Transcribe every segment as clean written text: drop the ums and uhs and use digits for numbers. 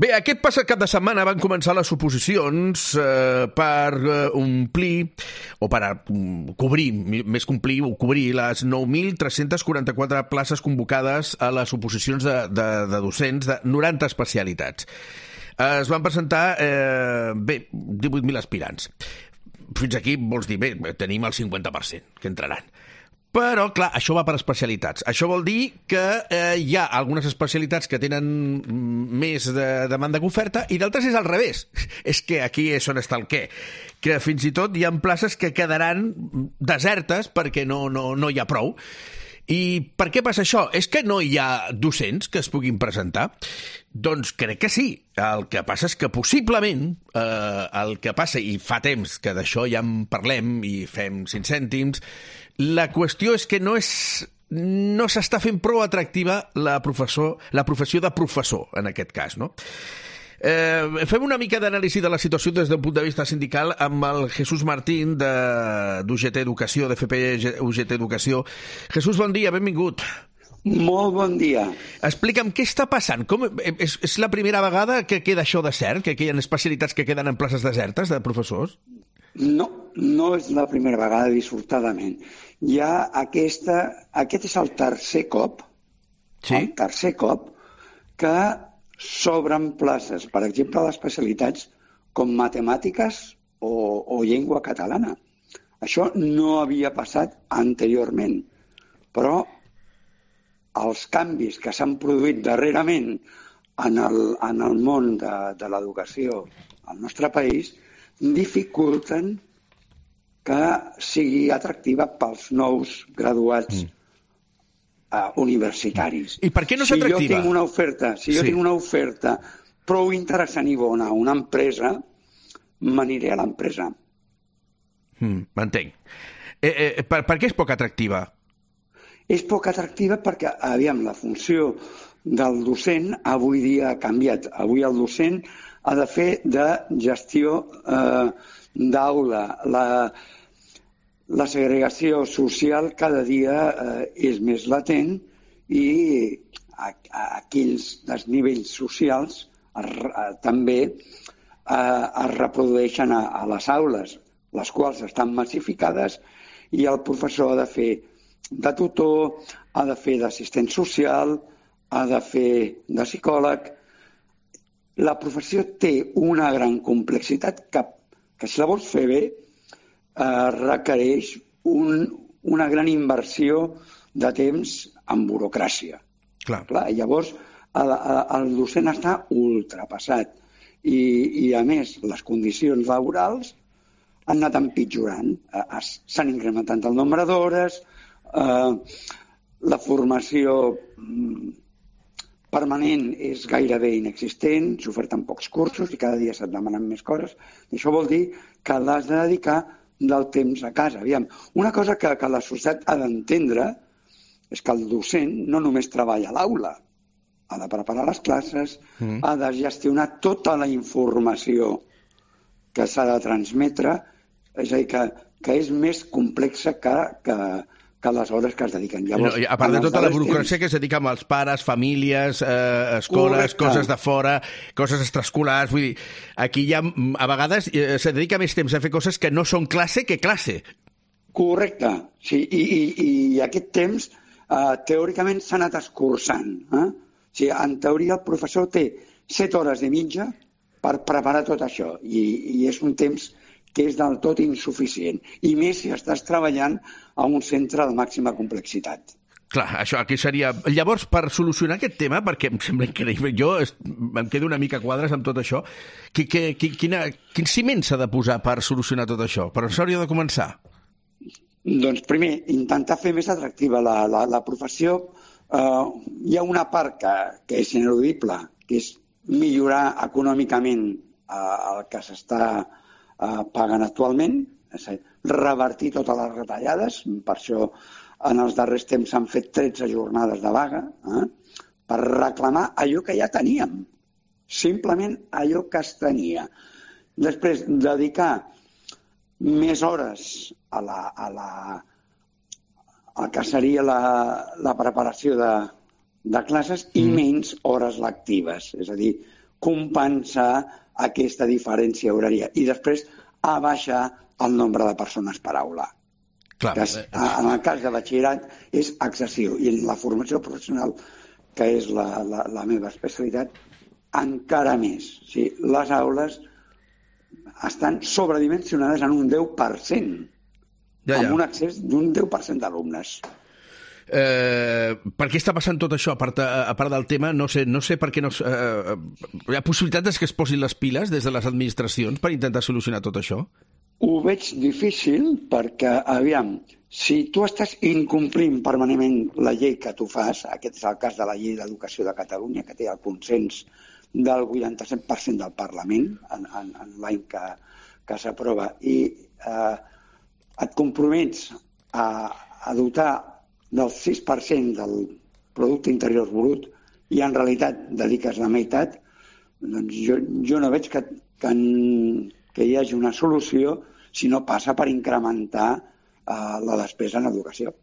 Bé, aquest passat cap de setmana van començar les oposicions per omplir, o per cobrir, més que omplir, cobrir les 9.344 places convocades a les oposicions de docents de 90 especialitats. Es van presentar, 18.000 aspirants. Fins aquí vols dir, bé, tenim el 50% que entraran. Però, clar, això va per especialitats. Això vol dir que hi ha algunes especialitats que tenen més de demanda que oferta i d'altres és al revés. És que aquí és on està el què. Que fins i tot hi ha places que quedaran desertes perquè no hi ha prou. I per què passa això? És que no hi ha docents que es puguin presentar? Doncs crec que sí. El que passa és que possiblement el que passa, i fa temps que d'això ja en parlem i fem 5 cèntims, la qüestió és que no s'està fent prou atractiva la professió de professor, en aquest cas, no? Fem una mica d'anàlisi de la situació des d'un punt de vista sindical amb el Jesús Martín d'UGT Educació, d'FP UGT Educació. Jesús, bon dia, benvingut. Molt bon dia. Explica'm què està passant. És la primera vegada que queda això de cert, que hi ha especialitats que queden en places desertes de professors? No és la primera vegada, dissortadament. Aquest és el tercer cop, sí? Que s'obren places, per exemple, a les especialitats com matemàtiques o llengua catalana. Això no havia passat anteriorment, però els canvis que s'han produït darrerament en el món de l'educació al nostre país dificulten que sigui atractiva pels nous graduats universitaris. I per què no és atractiva? Si jo tinc una oferta prou interessant i bona a una empresa, m'aniré a l'empresa. M'entenc. Per què és poc atractiva? És poc atractiva perquè, la funció del docent avui dia ha canviat. Avui el docent ha de fer de gestió d'aula. La segregació social cada dia és més latent i aquells desnivells socials també es reprodueixen a les aules, les quals estan massificades i el professor ha de fer de tutor, ha de fer d'assistent social, ha de fer de psicòleg. La professió té una gran complexitat que si la vols fer bé requereix una gran inversió de temps en burocràcia. Clar, llavors, el docent està ultrapassat i, a més, les condicions laborals han anat empitjorant. S'han incrementat el nombre d'hores, la formació permanent és gairebé inexistent, s'oferten pocs cursos i cada dia se't demanen més coses. I això vol dir que l'has de dedicar del temps a casa. Una cosa que la societat ha d'entendre és que el docent no només treballa a l'aula, ha de preparar les classes, ha de gestionar tota la informació que s'ha de transmetre, és a dir, que és més complexa que les hores que es dediquen. Llavors, a part de tota la burocràcia que es dedica amb els pares, famílies, escoles, coses de fora, coses extraescolars, vull dir, aquí ja a vegades se dedica més temps a fer coses que no són classe que classe. Correcte, sí, i aquest temps teòricament s'ha anat escurçant. En teoria el professor té 7 hores de mitja per preparar tot això i és un temps que és del tot insuficient. I més si estàs treballant a un centre de màxima complexitat. Clar, això aquí seria... Llavors, per solucionar aquest tema, perquè em sembla increïble, jo em quedo una mica a quadres amb tot això, quin ciment s'ha de posar per solucionar tot això? Per on s'hauria de començar? Doncs primer, intentar fer més atractiva la professió. Hi ha una part que és ineludible, que és millorar econòmicament el que s'està paguen actualment, és a dir, revertir totes les retallades. Per això en els darrers temps s'han fet 13 jornades de vaga per reclamar allò que ja teníem, simplement allò que es tenia. Després, dedicar més hores al que seria la preparació de classes i menys hores lectives, és a dir, compensar aquesta diferència horària i després abaixar el nombre de persones per aula. Clar. Que en el cas de batxillerat és excessiu i en la formació professional, que és la meva especialitat, encara més. O sigui, les aules estan sobredimensionades en un 10%, amb un accés d'un 10% d'alumnes. Per què està passant tot això? A part del tema, no sé per què no... Hi ha possibilitats que es posin les piles des de les administracions per intentar solucionar tot això? Ho veig difícil perquè, aviam, si tu estàs incomplint permanentment la llei que tu fas, aquest és el cas de la llei d'educació de Catalunya, que té el consens del 87% del Parlament en l'any que s'aprova, i et compromets a dotar del 6% del producte interior brut i en realitat dediques la meitat, doncs jo no veig que hi hagi una solució si no passa per incrementar la despesa en educació.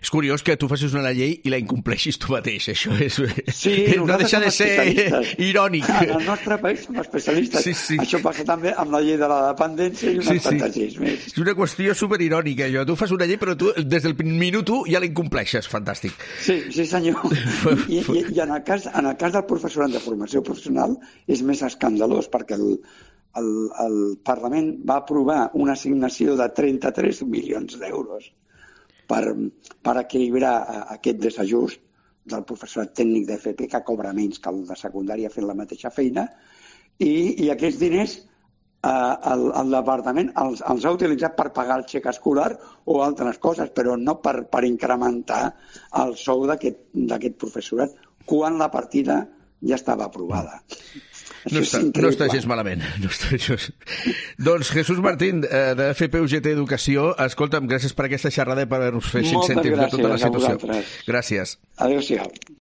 És curiós que tu facis una llei i la incompleixis tu mateix. Això és... Sí, no deixa de ser irònic. En el nostre país som especialistes. Sí. Això passa també amb la llei de la dependència i unes quantes lleis més. És una qüestió superirònica, això. Tu fas una llei, però tu des del minut 1 ja la incompleixes. Fantàstic. Sí, senyor. I en el cas del professorat de formació professional és més escandalós, perquè el Parlament va aprovar una assignació de 33 milions d'euros per equilibrar aquest desajust del professorat tècnic d'FP, que cobra menys que el de secundària fent la mateixa feina, i aquests diners el departament els ha utilitzat per pagar el xec escolar o altres coses, però no per incrementar el sou d'aquest professorat, quan la partida ja estava aprovada. No està gens malament. Doncs Jesús Martín, de FP-UGT Educació, escolta'm, gràcies per aquesta xerrada i per haver-nos fet 5 cèntims de tota la situació. Moltes gràcies a vosaltres. Gràcies. Adéu-siau.